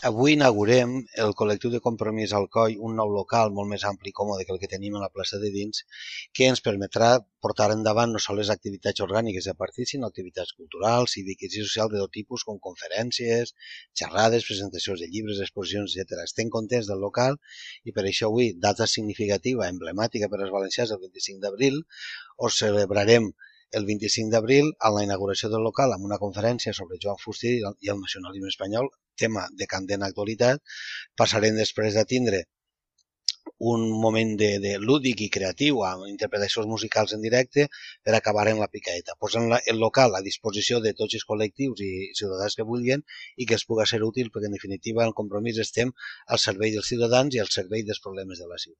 Avui inaugurem el col·lectiu de Compromís Alcoi, un nou local molt més ampli i còmode que el que tenim a la plaça de dins, que ens permetrà portar endavant no sols les activitats orgàniques de partit, sinó activitats culturals, cíviques i socials de tot tipus, com conferències, xerrades, presentacions de llibres, exposicions, etc. Estem contents del local i per això avui, data significativa, emblemàtica per als valencians, el 25 d'abril, us celebrarem el 25 d'abril a la inauguració del local amb una conferència sobre Joan Fuster i el nacionalisme espanyol, tema de candent actualitat. Passarem després a tindre un moment de lúdic i creatiu amb interpretacions musicals en directe per acabar en la picaeta, posant el local a disposició de tots els col·lectius i ciutadans que vulguin i que els pugui ser útil perquè en definitiva el Compromís estem al servei dels ciutadans i al servei dels problemes de la ciutat.